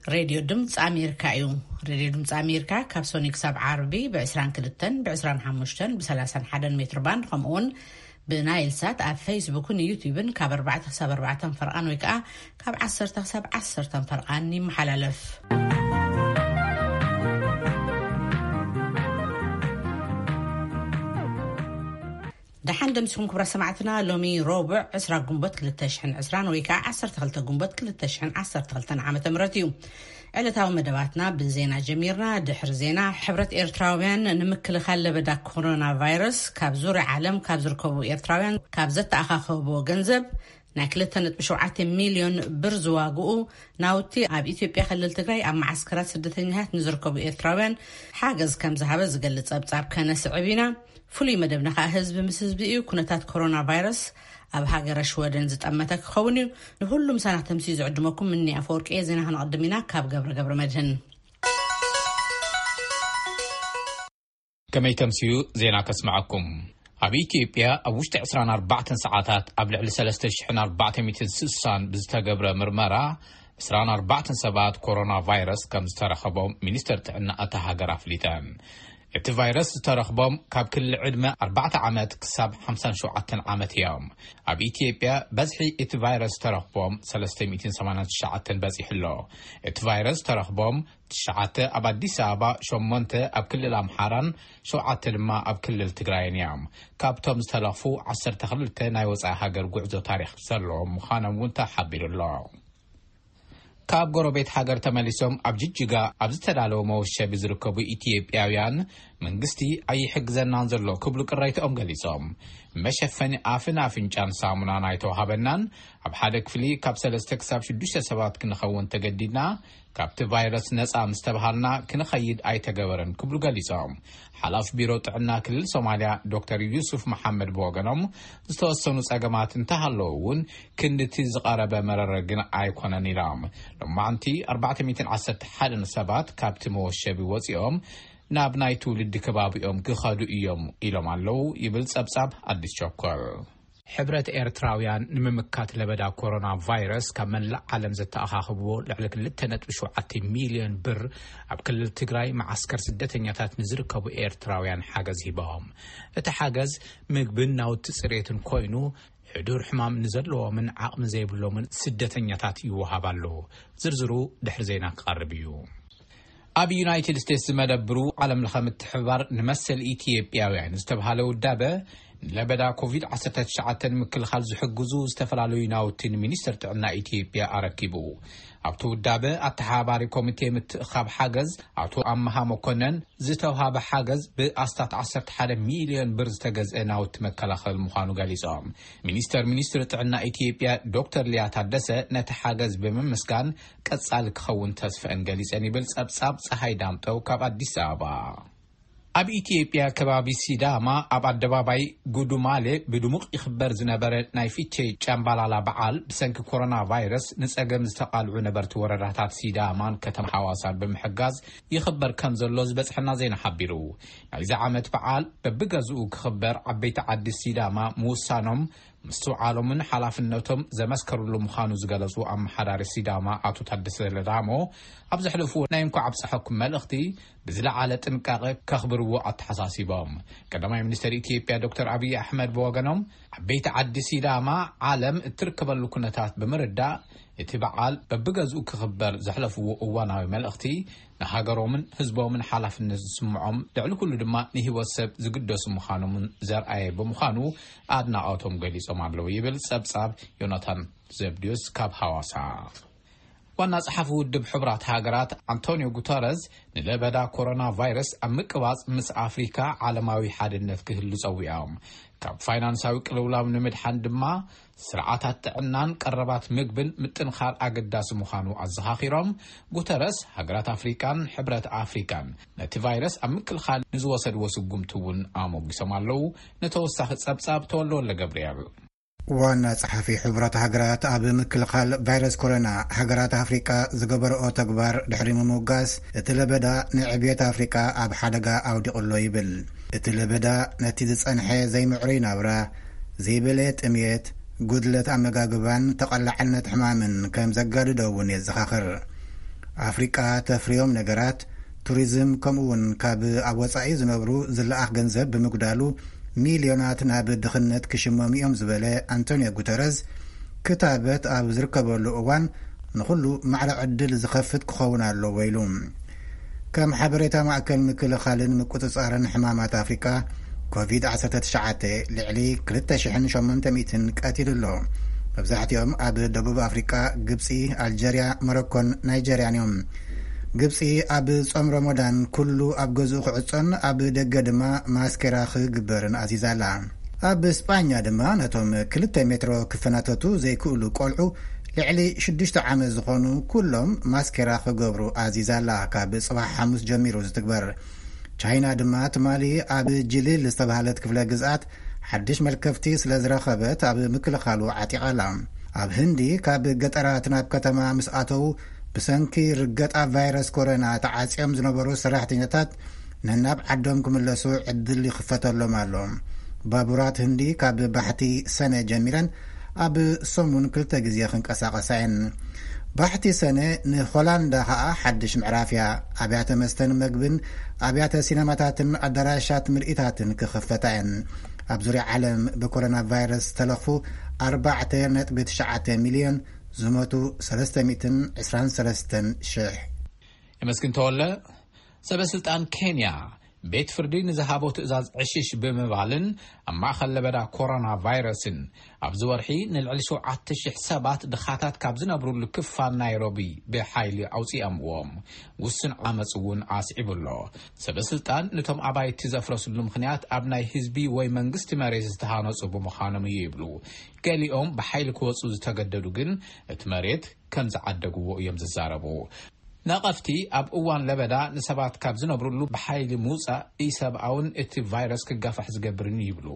ሬድዮ ድምፂ ኣሜሪካ እዩ። ሬድዮ ድምፂ ኣሜሪካ ካብ ሶኒ ክሳብ ዓርቢ ብ22፣ ብ25፣ ብ31 ሜትር ባንድ፣ ከምኡውን ብናይል ሳት ኣብ ፌስቡክን ዩቲዩብን ካብ ኣርባዕተ ክሳብ ኣርባዕተ ፈርቓን ወይ ከዓ ካብ ዓሰርተ ክሳብ ዓሰርተ ፈርቓን ይመሓላለፍ። ደሓን ደምሲኹም ክብራ ሰማዕትና። ሎሚ ረቡዕ ዕስራ ጉንበት ክልተ ሽሕን ዕስራን ወይ ከዓ ዓሰርተ ክልተ ጉንበት ክልተ ሽሕን ዓሰርተ ክልተን ዓመተ ምህረት እዩ። ዕለታዊ መደባትና ብዜና ጀሚርና። ድሕሪ ዜና፣ ሕብረት ኤርትራውያን ንምክልኻል ለበዳ ኮሮና ቫይረስ ካብ ዙርያ ዓለም ካብ ዝርከቡ ኤርትራውያን ካብ ዘተኣኻኸቦ ገንዘብ ናይ ክልተ ነጥቢ ሸውዓተ ሚልዮን ብር ዝዋግኡ ናውቲ ኣብ ኢትዮጵያ ክልል ትግራይ ኣብ መዓስከራት ስደተኛታት ንዝርከቡ ኤርትራውያን ሓገዝ ከም ዝሃበ ዝገልጽ ጸብጻብ ከነስዕብ ኢና። ፍሉይ መደብና ከኣ ህዝቢ ምስ ህዝቢ እዩ። ኩነታት ኮሮና ቫይረስ ኣብ ሃገረ ሽወደን ዝጠመተ ክኸውን እዩ። ንሁሉም ሳና ተምሲ ዝዕድመኩም ምኒ ኣፈወርቂ እየ። ዜና ክንቐድም ኢና ካብ ገብረ ገብረ መድህን። ከመይ ተምስዩ ዜና ከስምዐኩም። ኣብ ኢትዮጵያ ኣብ ውሽጢ ዕስራን ኣርባዕተን ሰዓታት ኣብ ልዕሊ ሰለስተ ሽሕን ኣርባዕተ ሚእትን ስሳን ብዝተገብረ ምርመራ ዕስራን ኣርባዕተን ሰባት ኮሮና ቫይረስ ከም ዝተረኸቦም ሚኒስተር ጥዕና እታ ሃገር ኣፍሊጠን። እቲ ቫይረስ ዝተረኽቦም ካብ ክሊ ዕድመ ኣርባዕተ ዓመት ክሳብ ሓምሳን ሸውዓተን ዓመት እዮም። ኣብ ኢትዮጵያ በዝሒ እቲ ቫይረስ ዝተረኽቦም ሰለስተ ሚእትን ሰማንያን ትሽዓተን በጺሑ ኣሎ። እቲ ቫይረስ ዝተረኽቦም ትሽዓተ ኣብ ኣዲስ ኣበባ፣ ሸሞንተ ኣብ ክልል ኣምሓራን ሸውዓተ ድማ ኣብ ክልል ትግራይን እዮም። ካብቶም ዝተለኽፉ ዓሰርተ ክልተ ናይ ወጻኢ ሃገር ጉዕዞ ታሪኽ ዘለዎም ምዃኖም እውን ተሓቢሩ ኣሎ። ካብ ጎረቤት ሃገር ተመሊሶም ኣብ ጅጅጋ ኣብ ዝተዳለወ መወሸቢ ዝርከቡ ኢትዮጵያውያን መንግስቲ ኣይሕግዘናን ዘሎ ክብሉ ቅሬትኦም ገሊጾም። መሸፈኒ ኣፍን ኣፍንጫን ሳሙናን ኣይተዋሃበናን፣ ኣብ ሓደ ክፍሊ ካብ ሰለስተ ክሳብ ሽዱሽተ ሰባት ክንኸውን ተገዲድና፣ ካብቲ ቫይረስ ነጻ ምስ ተባሃልና ክንኸይድ ኣይተገበረን ክብሉ ገሊጾም። ሓላፊ ቢሮ ጥዕና ክልል ሶማልያ ዶክተር ዩሱፍ መሓመድ ብወገኖም፣ ዝተወሰኑ ጸገማት እንተሃለዉ እውን ክንድቲ ዝቐረበ መረረ ግን ኣይኮነን ኢሎም። ሎማዕንቲ ኣርባዕተ ሚእትን ዓሰርተ ሓደን ሰባት ካብቲ መወሸቢ ወጺኦም ናብ ናይ ትውልዲ ከባቢኦም ክኸዱ እዮም ኢሎም ኣለዉ ይብል ጸብጻብ ኣዲስ ቸኮል። ሕብረት ኤርትራውያን ንምምካት ለበዳ ኮሮና ቫይረስ ካብ መላእ ዓለም ዘተኣኻኽብዎ ልዕሊ ክልተ ነጥቢ ሸውዓተ ሚልዮን ብር ኣብ ክልል ትግራይ መዓስከር ስደተኛታት ንዝርከቡ ኤርትራውያን ሓገዝ ሂቦም። እቲ ሓገዝ ምግብን ናውቲ ጽሬትን ኮይኑ፣ ሕዱር ሕማም ንዘለዎምን ዓቕሚ ዘይብሎምን ስደተኛታት ይወሃብ ኣሎ። ዝርዝሩ ድሕሪ ዜና ክቐርብ እዩ። ኣብ ዩናይትድ ስቴትስ ዝመደብሩ ዓለም ለኸ ምትሕብባር ንመሰል ኢትዮጵያውያን ዝተብሃለ ውዳበ፣ ንለበዳ ኮቪድ ዓሰርተ ትሽዓተ ንምክልኻል ዝሕግዙ ዝተፈላለዩ ናውቲ ንሚኒስተር ጥዕና ኢትዮጵያ ኣረኪቡ። ኣብቲ ውዳበ ኣተሓባባሪ ኮሚቴ ምትእኻብ ሓገዝ ኣቶ ኣመሃ መኮነን፣ ዝተውሃበ ሓገዝ ብኣስታት ዓሰርተ ሓደ ሚልዮን ብር ዝተገዝአ ናውቲ መከላኸሊ ምዃኑ ገሊጾም። ሚኒስተር ሚኒስትሪ ጥዕና ኢትዮጵያ ዶክተር ሊያ ታደሰ ነቲ ሓገዝ ብምምስጋን፣ ቀጻሊ ክኸውን ተስፈአን ገሊጸን ይብል ጸብጻብ ጸሃይ ዳምጠው ካብ ኣዲስ ኣበባ። ኣብ ኢትዮጵያ ከባቢ ሲዳማ ኣብ ኣደባባይ ጉዱማሌ ብድሙቕ ይኽበር ዝነበረ ናይ ፊቼ ጫምባላላ በዓል ብሰንኪ ኮሮና ቫይረስ ንጸገም ዝተቓልዑ ነበርቲ ወረዳታት ሲዳማን ከተማ ሓዋሳን ብምሕጋዝ ይኽበር ከም ዘሎ ዝበጽሐና ዜና ሓቢሩ። ናይዚ ዓመት በዓል በብገዝኡ ክኽበር ዓበይቲ ዓዲ ሲዳማ ምውሳኖም ምስትውዓሎምን ሓላፍነቶም ዘመስከርሉ ምዃኑ ዝገለጹ ኣመሓዳሪ ሲዳማ ኣቶ ታደሰ ለዳሞ፣ ኣብ ዘሕለፍዎ ናይ እንኳዕ ኣብፀሐኩም መልእኽቲ ብዝለዓለ ጥንቃቐ ከኽብርዎ ኣተሓሳሲቦም። ቀዳማይ ሚኒስተር ኢትዮጵያ ዶክተር ኣብይ ኣሕመድ ብወገኖም፣ ዓበይቲ ዓዲ ሲዳማ ዓለም እትርከበሉ ኩነታት ብምርዳእ፣ እቲ በዓል በብገዝኡ ክኽበር ዘሕለፍዎ እዋናዊ መልእኽቲ፣ ንሃገሮምን ህዝቦምን ሓላፍነት ዝስምዖም፣ ልዕሊ ኩሉ ድማ ንህይወት ሰብ ዝግደሱ ምዃኖምን ዘርኣየ ብምዃኑ ኣድናቖቶም ገሊጾም ኣለዉ ይብል ጸብጻብ ዮናታን ዘብድዮስ ካብ ሃዋሳ። ዋና ጸሓፊ ውድብ ሕቡራት ሃገራት ኣንቶኒዮ ጉተረዝ ንለበዳ ኮሮና ቫይረስ ኣብ ምቅባጽ ምስ ኣፍሪካ ዓለማዊ ሓድነት ክህሉ ጸዊዖም። ካብ ፋይናንሳዊ ቅልውላው ንምድሓን ድማ ስርዓታት ጥዕናን ቀረባት ምግብን ምጥንኻር ኣገዳሲ ምዃኑ ኣዘኻኺሮም፣ ጉተረስ ሃገራት ኣፍሪቃን ሕብረት ኣፍሪቃን ነቲ ቫይረስ ኣብ ምክልኻል ንዝወሰድዎ ስጉምቲ እውን ኣሞጊሶም ኣለዉ። ንተወሳኺ ጸብጻብ ተወልደ ወልደ ገብርኤል። ዋና ጸሓፊ ሕቡራት ሃገራት ኣብ ምክልኻል ቫይረስ ኮሮና ሃገራት ኣፍሪቃ ዝገበረኦ ተግባር ድሕሪ ምምጋስ፣ እቲ ለበዳ ንዕብየት ኣፍሪቃ ኣብ ሓደጋ ኣውዲቑ ኣሎ ይብል። እቲ ለበዳ ነቲ ዝጸንሐ ዘይምዕሩይ ናብራ፣ ዘይበለየ ጥምየት፣ ጉድለት ኣመጋግባን ተቐላዕነት ሕማምን ከም ዘጋድዶ እውን የዘኻኽር። ኣፍሪቃ ተፍርዮም ነገራት፣ ቱሪዝም፣ ከምኡ እውን ካብ ኣብ ወጻኢ ዝነብሩ ዝለኣኽ ገንዘብ ብምጉዳሉ ሚልዮናት ናብ ድኽነት ክሽመሙ እዮም ዝበለ ኣንቶኒዮ ጉተረዝ፣ ክታበት ኣብ ዝርከበሉ እዋን ንኹሉ ማዕረ ዕድል ዝኸፍት ክኸውን ኣለዎ ኢሉ። ከም ሓበሬታ ማእከል ምክልኻልን ምቁጽጻርን ሕማማት ኣፍሪቃ፣ ኮቪድ ዓሰርተ ትሽዓተ ልዕሊ ክልተ ሽሕን ሸሞንተ ሚእትን ቀቲሉ ኣሎ። መብዛሕትኦም ኣብ ደቡብ ኣፍሪቃ፣ ግብጺ፣ ኣልጀርያ፣ ሞሮኮን ናይጀርያን እዮም። ግብጺ ኣብ ጾም ረመዳን ኩሉ ኣብ ገዝኡ ክዕጾን ኣብ ደገ ድማ ማስኬራ ክግበርን ኣዚዛ ኣላ። ኣብ ስጳኛ ድማ ነቶም ክልተ ሜትሮ ክፈናተቱ ዘይክእሉ ቆልዑ ልዕሊ ሽዱሽተ ዓመት ዝኾኑ ኩሎም ማስኬራ ክገብሩ ኣዚዛ ኣላ። ካብ ጽባሕ ሓሙስ ጀሚሩ ዝትግበር። ቻይና ድማ ትማሊ ኣብ ጅሊል ዝተባህለት ክፍለ ግዝኣት ሓድሽ መልከፍቲ ስለ ዝረኸበት ኣብ ምክልኻሉ ዓጢቓ ኣላ። ኣብ ህንዲ ካብ ገጠራት ናብ ከተማ ምስ ኣተዉ ብሰንኪ ርገጣ ቫይረስ ኮሮና ተዓጽዮም ዝነበሩ ሰራሕተኛታት ነናብ ዓዶም ክምለሱ ዕድል ይኽፈተሎም ኣሎ። ባቡራት ህንዲ ካብ ባሕቲ ሰነ ጀሚረን ኣብ ሰሙን ክልተ ግዜ ክንቀሳቐሳ እየን። ባሕቲ ሰነ ንሆላንዳ ኸኣ ሓድሽ ምዕራፍ እያ። ኣብያተ መስተን መግብን፣ ኣብያተ ሲነማታትን ኣዳራሻት ምርኢታትን ክኽፈታ እየን። ኣብ ዙርያ ዓለም ብኮሮና ቫይረስ ዝተለኽፉ ኣርባዕተ ነጥቢ ትሽዓተ ሚልዮን፣ ዝሞቱ ሰለስተ ሚእትን ዕስራን ሰለስተን ሽሕ። የመስግን ተወለ። ሰበ ስልጣን ኬንያ ቤት ፍርዲ ንዝሃቦ ትእዛዝ ዕሽሽ ብምባልን ኣብ ማእኸል ለበዳ ኮሮና ቫይረስን ኣብዚ ወርሒ ንልዕሊ ሸውዓተ ሽሕ ሰባት ድኻታት ካብ ዝነብሩሉ ክፋል ናይሮቢ ብሓይሊ ኣውፂኦምዎም። ውስን ዓመፅ እውን ኣስዒቡ ኣሎ። ሰበ ስልጣን ነቶም ኣባይቲ ዘፍረስሉ ምኽንያት ኣብ ናይ ህዝቢ ወይ መንግስቲ መሬት ዝተሃነፁ ብምዃኖም እዩ ይብሉ። ገሊኦም ብሓይሊ ክወፁ ዝተገደዱ ግን እቲ መሬት ከም ዝዓደግዎ እዮም ዝዛረቡ። ነቐፍቲ ኣብ እዋን ለበዳ ንሰባት ካብ ዝነብሩሉ ብሓይሊ ምውፃእ ኢሰብኣውን እቲ ቫይረስ ክጋፋሕ ዝገብርን ይብሉ።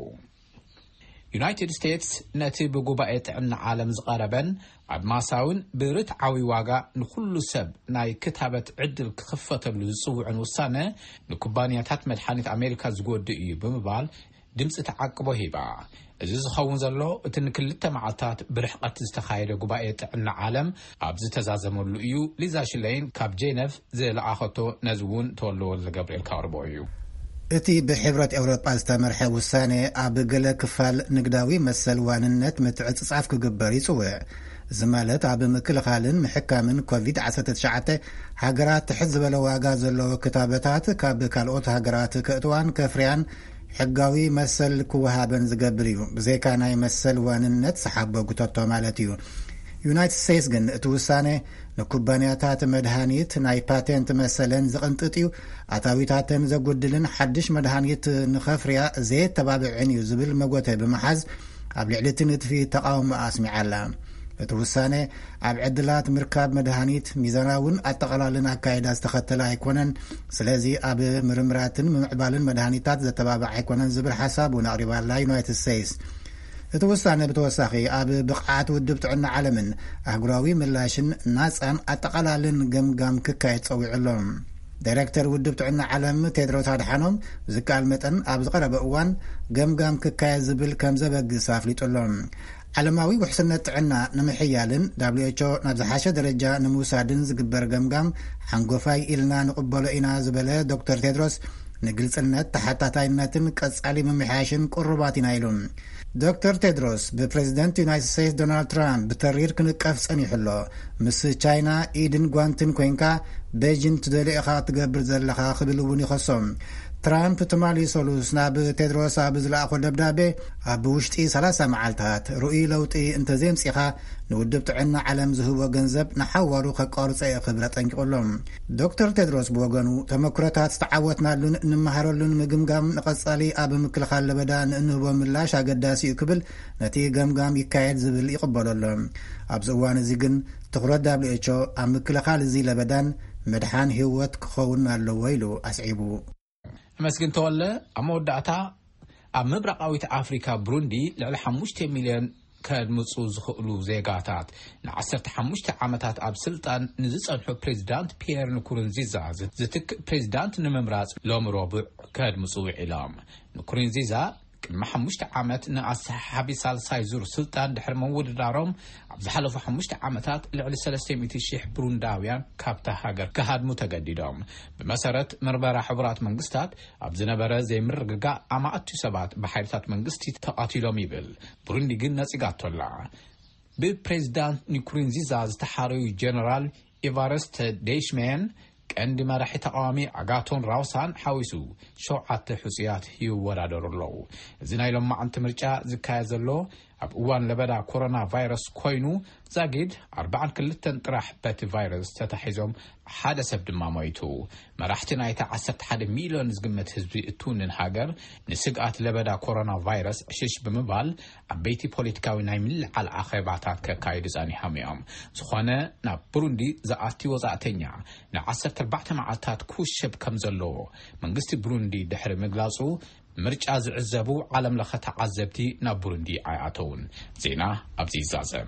ዩናይትድ ስቴትስ ነቲ ብጉባኤ ጥዕና ዓለም ዝቐረበን ኣድማሳውን ብርትዓዊ ዋጋ ንኹሉ ሰብ ናይ ክታበት ዕድል ክኽፈተሉ ዝጽውዕን ውሳነ ንኩባንያታት መድሓኒት ኣሜሪካ ዝጎድእ እዩ ብምባል ድምፂ ተዓቅቦ ሂባ። እዚ ዝኸውን ዘሎ እቲ ንክልተ መዓልታት ብርሕቐት ዝተኻየደ ጉባኤ ጥዕና ዓለም ኣብ ዝተዛዘመሉ እዩ። ሊዛ ሽለይን ካብ ጄነቭ ዝለኣኸቶ ነዚ እውን ተወልደ ወልደ ገብርኤል ካቕርቦ እዩ። እቲ ብሕብረት ኤውሮጳ ዝተመርሐ ውሳነ ኣብ ገለ ክፋል ንግዳዊ መሰል ዋንነት ምትዕጽጻፍ ክግበር ይጽውዕ። እዚ ማለት ኣብ ምክልኻልን ምሕካምን ኮቪድ ዓሰርተ ትሽዓተ ሃገራት ትሕት ዝበለ ዋጋ ዘለዎ ክታበታት ካብ ካልኦት ሃገራት ክእትዋን ከፍርያን ሕጋዊ መሰል ክወሃበን ዝገብር እዩ። ብዘይካ ናይ መሰል ዋንነት ዝሓቦ ጉተቶ ማለት እዩ። ዩናይትድ ስቴትስ ግን እቲ ውሳነ ንኩባንያታት መድሃኒት ናይ ፓቴንት መሰለን ዝቕንጥጥ እዩ፣ ኣታዊታተን ዘጉድልን ሓድሽ መድሃኒት ንኸፍርያ ዘየተባብዕን እዩ ዝብል መጎተ ብምሓዝ ኣብ ልዕሊ እቲ ንድፊ ተቓውሞ ኣስሚዓ ኣላ። እቲ ውሳነ ኣብ ዕድላት ምርካብ መድሃኒት ሚዛናውን ኣጠቓላልን ኣካይዳ ዝተኸተለ ኣይኮነን። ስለዚ ኣብ ምርምራትን ምምዕባልን መድሃኒታት ዘተባብዕ ኣይኮነን ዝብል ሓሳብ እውን ኣቕሪባ ኣላ ዩናይትድ ስቴትስ። እቲ ውሳነ ብተወሳኺ ኣብ ብቕዓት ውድብ ጥዕና ዓለምን ኣህጉራዊ ምላሽን ናጻን ኣጠቓላልን ገምጋም ክካየድ ጸዊዑ ኣሎ። ዳይሬክተር ውድብ ጥዕና ዓለም ቴድሮስ ኣድሓኖም ብዝከኣል መጠን ኣብ ዝቐረበ እዋን ገምጋም ክካየድ ዝብል ከም ዘበግስ ኣፍሊጡ ኣሎ። ዓለማዊ ውሕስነት ጥዕና ንምሕያልን ዳብሊው ኤች ኦ ናብ ዝሓሸ ደረጃ ንምውሳድን ዝግበር ገምጋም ሓንጎፋይ ኢልና ንቕበሎ ኢና ዝበለ ዶክተር ቴድሮስ፣ ንግልጽነት፣ ተሓታታይነትን ቀጻሊ ምምሕያሽን ቅሩባት ኢና ኢሉ። ዶክተር ቴድሮስ ብፕሬዚደንት ዩናይትድ ስቴትስ ዶናልድ ትራምፕ ብተሪር ክንቀፍ ጸኒሑ ኣሎ። ምስ ቻይና ኢድን ጓንትን ኮይንካ ቤጂን ትደልዮ ኢኻ ትገብር ዘለኻ ክብል እውን ይኸሶ። ትራምፕ ትማሊ ሰሉስ ናብ ቴድሮስ ኣብ ዝለኣኾ ደብዳቤ ኣብ ውሽጢ ሰላሳ መዓልታት ርኡይ ለውጢ እንተዘየምጺኻ ንውድብ ጥዕና ዓለም ዝህቦ ገንዘብ ንሓዋሩ ከቋርጾ እየ ክብል ኣጠንቂቑ ኣሎ። ዶክተር ቴድሮስ ብወገኑ ተመክሮታት ዝተዓወትናሉን እንመሃረሉን ምግምጋም ንቐጻሊ ኣብ ምክልኻል ለበዳ ንእንህቦ ምላሽ ኣገዳሲ እዩ ክብል ነቲ ገምጋም ይካየድ ዝብል ይቕበሎ ኣሎ። ኣብዚ እዋን እዚ ግን ትኹረት ዳብሊው ኤች ኦ ኣብ ምክልኻል እዚ ለበዳን ምድሓን ህይወት ክኸውን ኣለዎ ኢሉ ኣስዒቡ። ኣመስግን ተወለ። ኣብ መወዳእታ ኣብ ምብራቓዊት ኣፍሪካ ብሩንዲ ልዕሊ ሓሙሽተ ሚልዮን ከድምፁ ዝኽእሉ ዜጋታት ንዓሰርተ ሓሙሽተ ዓመታት ኣብ ስልጣን ንዝፀንሑ ፕሬዚዳንት ፒየር ንኩሩንዚዛ ዝትክእ ፕሬዚዳንት ንምምራፅ ሎሚ ረቡዕ ከድምፁ ውዒሎም። ንኩሩንዚዛ ቅድሚ ሓሙሽተ ዓመት ንኣሰሓሓቢ ሳልሳይ ዙር ስልጣን ድሕሪ ምውድዳሮም፣ ኣብ ዝሓለፉ ሓሙሽተ ዓመታት ልዕሊ ሰለስተ ሚእቲ ሺሕ ብሩንዳውያን ካብታ ሃገር ክሃድሙ ተገዲዶም። ብመሰረት ምርመራ ሕቡራት መንግስታት፣ ኣብ ዝነበረ ዘይምርግጋእ ኣማእቱ ሰባት ብሓይልታት መንግስቲ ተቐቲሎም ይብል። ብሩንዲ ግን ነጺጋቶ ኣላ። ብፕሬዚዳንት ኒኩሩንዚዛ ዝተሓረዩ ጀነራል ኤቫረስተ ደይሽሜን፣ ቀንዲ መራሒ ተቃዋሚ ኣጋቶን ራውሳን ሓዊሱ ሸውዓተ ሕጹያት ይወዳደሩ ኣለዉ። እዚ ናይ ሎማዓንቲ ምርጫ ዝካየድ ዘሎ ኣብ እዋን ለበዳ ኮሮና ቫይረስ ኮይኑ፣ ዛጊድ ኣርባዓን ክልተን ጥራሕ በቲ ቫይረስ ተታሒዞም፣ ሓደ ሰብ ድማ ሞይቱ። መራሕቲ ናይታ ዓሰርተ ሓደ ሚልዮን ዝግመት ህዝቢ እትውንን ሃገር፣ ንስግኣት ለበዳ ኮሮና ቫይረስ ዕሽሽ ብምባል፣ ዓበይቲ ፖለቲካዊ ናይ ምልዕዓል ኣኼባታት ከካይዱ ጸኒሖም እዮም። ዝኾነ፣ ናብ ብሩንዲ ዝኣቲ ወጻእተኛ ንዓሰርተ ኣርባዕተ መዓልታት ክውሸብ ከም ዘለዎ መንግስቲ ብሩንዲ ድሕሪ ምግላጹ፣ ምርጫ ዝዕዘቡ ዓለም ለኸ ተዓዘብቲ ናብ ብሩንዲ ኣይኣተውን። ዜና ኣብዚ ይዛዘም።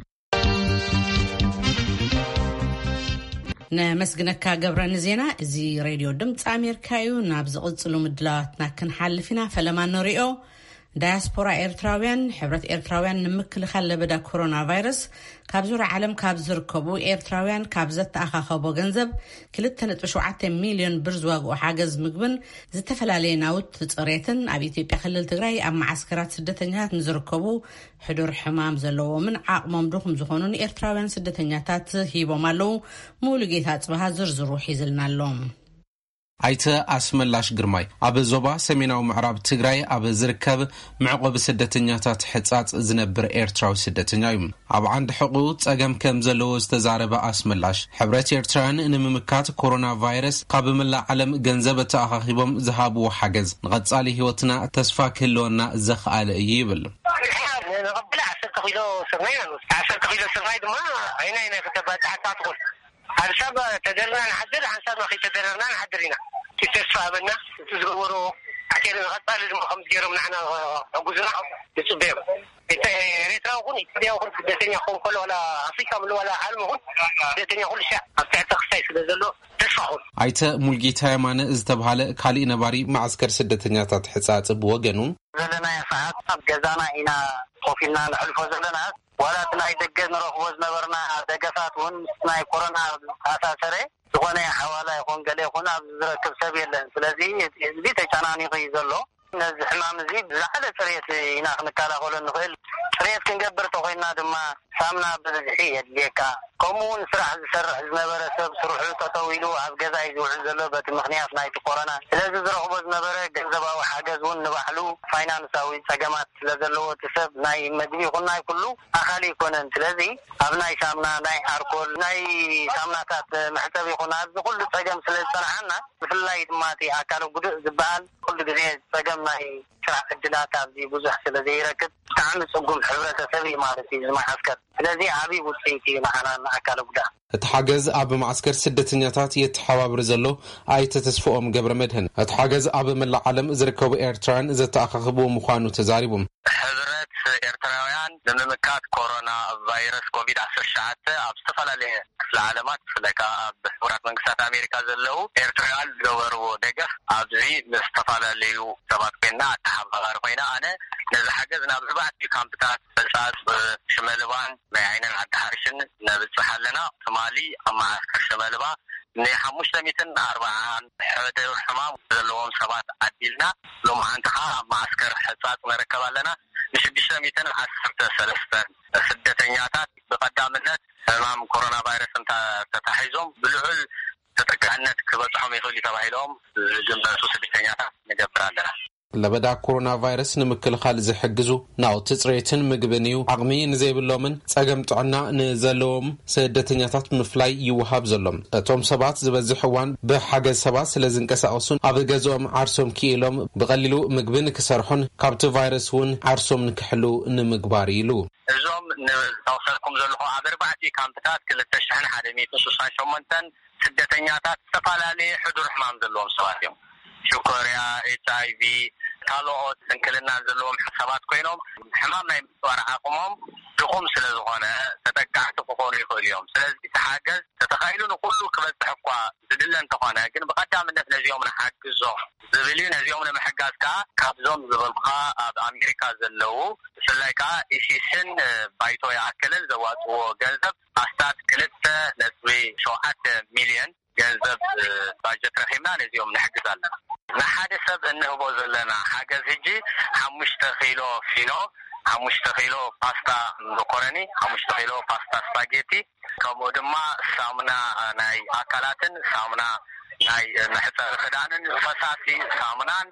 ነመስግነካ ገብረ ንዜና። እዚ ሬድዮ ድምፂ ኣሜሪካ እዩ። ናብ ዝቕፅሉ ምድላዋትና ክንሓልፍ ኢና። ፈለማ ንሪኦ። ዳያስፖራ ኤርትራውያን፣ ሕብረት ኤርትራውያን ንምክልኻል ለበዳ ኮሮና ቫይረስ ካብ ዙርያ ዓለም ካብ ዝርከቡ ኤርትራውያን ካብ ዘተኣኻኸቦ ገንዘብ ክልተ ነጥቢ ሸውዓተ ሚልዮን ብር ዝዋግኡ ሓገዝ ምግብን ዝተፈላለየ ናውቲ ጽሬትን ኣብ ኢትዮጵያ ክልል ትግራይ ኣብ መዓስከራት ስደተኛታት ንዝርከቡ ሕዱር ሕማም ዘለዎምን ዓቕሞም ድኹም ዝኾኑን ኤርትራውያን ስደተኛታት ሂቦም ኣለዉ። ሙሉጌታ ጽብሃ ዝርዝሩ ሒዝልና ኣሎ። ኣይተ ኣስመላሽ ግርማይ ኣብ ዞባ ሰሜናዊ ምዕራብ ትግራይ ኣብ ዝርከብ መዕቆቢ ስደተኛታት ሕጻጽ ዝነብር ኤርትራዊ ስደተኛ እዩ። ኣብ ዓንዲ ሕቑ ጸገም ከም ዘለዎ ዝተዛረበ ኣስመላሽ፣ ሕብረት ኤርትራውያን ንምምካት ኮሮና ቫይረስ ካብ መላእ ዓለም ገንዘብ ተኣኻኺቦም ዝሃብዎ ሓገዝ ንቐጻሊ ህይወትና ተስፋ ክህልወና ዘኽኣለ እዩ ይብል። ንቐበል ዓሰርተ ኪሎ ስርናይ ኢና ንወስድ። ዓሰርተ ኪሎ ስርናይ ድማ ዓይና ዓይና ከተባጽሓካ ትኽእል። ሓንሳብ ተደርና ንሓድር፣ ሓንሳብ ከይተደረርና ንሓድር ኢና። እቲ ተስፋ ሃበና፣ እቲ ዝገበሮ ኣኬር ንቐጻሊ ድማ ከምዚ ገይሮም ንዓና ሕጉዝና ንጽበዮም። ኤርትራዊ ኹን ኢትዮጵያዊ ኹን ስደተኛ ክኸውን ከሎ፣ ዋላ ኣፍሪካ ምሉ ዋላ ዓለም ኹን ስደተኛ ኩሉ ሻዕ ኣብ ትሕቲ ክስታይ ስለ ዘሎ ተስፋ ኹን። ኣይተ ሙልጌታ የማነ ዝተብሃለ ካሊእ ነባሪ ማዕስከር ስደተኛታት ሕጻጽ ብወገኑ፣ ዘለናዮ ሰዓት ኣብ ገዛና ኢና ኮፍ ኢልና ነሕልፎ ዘለና። ዋላ እቲ ናይ ደገ ንረኽቦ ዝነበርና ደገፋት እውን ምስ ናይ ኮሮና ዝተኣሳሰረ ዝኾነ ሓዋላ ይኹን ገለ ይኹን ኣብዚ ዝረክብ ሰብ የለን። ስለዚ እቲ ህዝቢ ተጨናኒቑ እዩ ዘሎ። ነዚ ሕማም እዚ ብዝለዓለ ፅሬት ኢና ክንከላኸሎ እንኽእል። ፅሬት ክንገብር ተኾይንና ድማ ሳምና ብብዝሒ የድልየካ። ከምኡ እውን ስራሕ ዝሰርሕ ዝነበረ ሰብ ስርሑ ጠጠው ኢሉ ኣብ ገዛ እዩ ዝውዕል ዘሎ በቲ ምኽንያት ናይቲ ኮሮና። ስለዚ ዝረኽቦ ዝነበረ ገንዘባዊ ሓገዝ እውን ንባዕሉ ፋይናንሳዊ ፀገማት ስለ ዘለዎ እቲ ሰብ ናይ መግቢ ይኹን ናይ ኩሉ ኣኻሊ ኣይኮነን። ስለዚ ኣብ ናይ ሳምና፣ ናይ ኣርኮል፣ ናይ ሳምናታት መሕፀቢ ይኹን ኣብዚ ኩሉ ፀገም ስለ ዝፀንሓና፣ ብፍላይ ድማ እቲ ኣካለ ጉዱእ ዝበሃል ኩሉ ግዜ ፀገም ናይ ስራሕ ዕድላት ኣብዚ ብዙሕ ስለ ዘይረክብ ብጣዕሚ ፅጉም ሕብረተሰብ እዩ ማለት እዩ እዚ መዓስከር። ስለዚ ዓብዪ ውፅኢት እዩ ንዓና ንኣካለ ጉዳት። እቲ ሓገዝ ኣብ ማዕስከር ስደተኛታት የተሓባብር ዘሎ ኣይተ ተስፍኦም ገብረ መድህን፣ እቲ ሓገዝ ኣብ መላእ ዓለም ዝርከቡ ኤርትራውያን ዘተኣኻኽብዎ ምዃኑ ተዛሪቡ። ሕብረት ኤርትራውያን ንምምካት ኮሮና ቫይረስ ኮቪድ ዓሰርተ ትሽዓተ ኣብ ዝተፈላለየ ክፍለ ዓለማት፣ ብፍላይ ከኣ ኣብ ሕቡራት መንግስታት ኣሜሪካ ዘለዉ ኤርትራውያን ዝገበርዎ ደገፍ፣ ኣብዚ ምስ ዝተፈላለዩ ሰባት ኮይና ኣተሓባባሪ ኮይና፣ ኣነ ነዚ ሓገዝ ናብ ኣርባዕቲኡ ካምፕታት ሕጻጽ ሽመልባን ናይ ዓይንን ዓዲ ሓርሽን ነብጽሕ ኣለና። ትማሊ ኣብ መዓስከር ሽመልባ ንሓሙሽተ ሚእትን ኣርባዓን ሕዱር ሕማም ዘለዎም ሰባት ዓዲልና፣ ሎማዓንቲ ከኣ ኣብ መዓስከር ሕጻጽ ንርከብ ኣለና። ንሽዱሽተ ሚእትን ዓሰርተ ሰለስተን ስደተኛታት ብቐዳምነት ሕማም ኮሮና ቫይረስ እንተ ተታሒዞም ብልዑል ተጠቃዕነት ክበጽሖም ይኽእል እዩ ተባሂሎም ዝግመቱ ስደተኛታት ንገብር ኣለና። ለበዳ ኮሮና ቫይረስ ንምክልኻል ዝሕግዙ ናውቲ ጽሬትን ምግብን እዩ። ዓቕሚ ንዘይብሎምን ጸገም ጥዕና ንዘለዎም ስደተኛታት ምፍላይ ይወሃብ ዘሎ። እቶም ሰባት ዝበዝሕ እዋን ብሓገዝ ሰባት ስለ ዝንቀሳቐሱን ኣብ ገዝኦም ዓርሶም ክኢሎም ብቐሊሉ ምግቢ ንክሰርሑን ካብቲ ቫይረስ እውን ዓርሶም ንክሕልው ንምግባር ኢሉ። እዞም ንጠቕሰልኩም ዘለኹ ኣብ ኣርባዕቲኡ ካምፕታት ክልተ ሽሕን ሓደ ሚእትን ስሳን ሸሞንተን ስደተኛታት ዝተፈላለየ ሕዱር ሕማም ዘለዎም ሰባት እዮም። ሽኮርያ፣ ኤች ኣይ ቪ፣ ካልኦት ስንክልና ዘለዎም ሰባት ኮይኖም፣ ሕማም ናይ ምጽዋር ዓቕሞም ድኹም ስለ ዝኾነ ተጠቃዕቲ ክኾኑ ይኽእሉ እዮም። ስለዚ እቲ ሓገዝ ተተኻኢሉ ንኹሉ ክበጽሕ እኳ ዝድለ እንተኾነ፣ ግን ብቐዳምነት ነዚኦም ንሓግዞም ዝብል ነዚኦም ንምሕጋዝ ከዓ ካብዞም ዝበልኩኻ ኣብ ኣሜሪካ ዘለዉ ብፍላይ ከዓ ኢሲስን ባይቶ ይኣክልን ዘዋፅዎ ገንዘብ ኣስታት ክልተ ነጥቢ ሸውዓተ ሚልዮን ገንዘብ ባጀት ረኺብና ነዚኦም ንሕግዝ ኣለና። ንሓደ ሰብ እንህቦ ዘለና ሓገዝ ሕጂ ሓሙሽተ ኪሎ ፊኖ፣ ሓሙሽተ ኪሎ ፓስታ መኮረኒ፣ ሓሙሽተ ኪሎ ፓስታ ስፓጌቲ፣ ከምኡ ድማ ሳሙና ናይ ኣካላትን ሳሙና ናይ መሕፀቢ ክዳንን፣ ፈሳሲ ሳሙናን